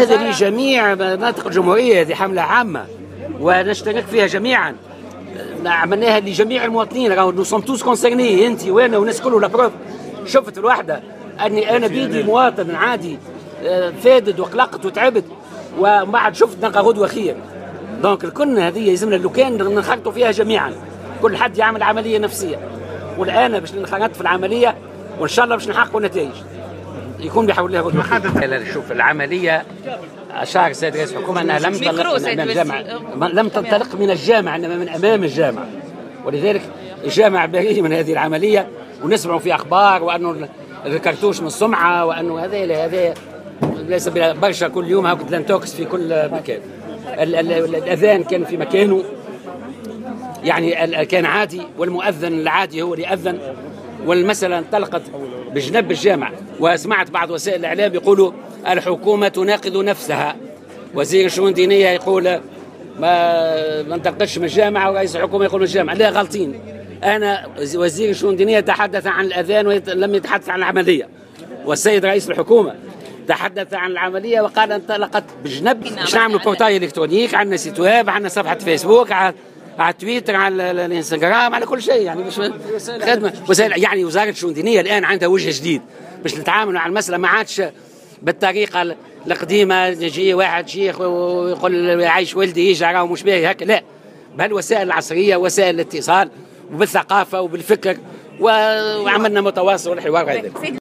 هذا لجميع مناطق الجمهورية، هذه حملة عامة ونشترك فيها جميعا، عملناها لجميع المواطنين. راهو nous sommes tous concernés، انت وانا والناس كله. la preuve شفت الوحدة اني انا بيدي مواطن عادي فادد وقلقت وتعبت، ومن بعد شفت نلقى غدوه خير. donc الكل هذه يلزمنا لو كان ننخرطوا فيها جميعا، كل حد يعمل عملية نفسيه. والان باش ننخرط في العملية وان شاء الله باش نحققوا نتائج يكون بحول الله غدوه خير. شوف العمليه، اشار السيد رئيس الحكومة انها لم تنطلق من امام الجامع، لم تنطلق من الجامع انما من امام الجامع، ولذلك الجامع بريء من هذه العمليه. ونسمعوا في اخبار وانه الكرتوش من السمعة وانه هذا هذا ليس برشا، كل يوم هاك l'intox في كل مكان. الاذان كان في مكانه، يعني كان عادي، والمؤذن العادي هو اللي اذن، والمسألة انطلقت بجنب الجامع. وسمعت بعض وسائل الإعلام يقولوا الحكومة تناقض نفسها، وزير الشؤون الدينية يقول ما انطلقتش من الجامع، ورئيس الحكومة يقول من الجامع. لا، غلطين. أنا وزير الشؤون الدينية تحدث عن الأذان ولم يتحدث عن العملية، والسيد رئيس الحكومة تحدث عن العملية وقال انطلقت بجنب. باش نعملوا portail électronique، عندنا site web، عندنا صفحة فيسبوك، على تويتر، على الانستغرام، على كل شيء، يعني مش خدمة وسائل. يعني وزارة الشؤون الدينية الان عندها وجه جديد باش نتعاملوا مع المساله، ما عادش بالطريقة القديمه، يجي واحد شيخ ويقول عايش ولدي يجي راهو مش باهي هكا. لا، بهالوسائل العصريه، وسائل الاتصال، وبالثقافه وبالفكر، وعملنا متواصل والحوار وغير ذلك.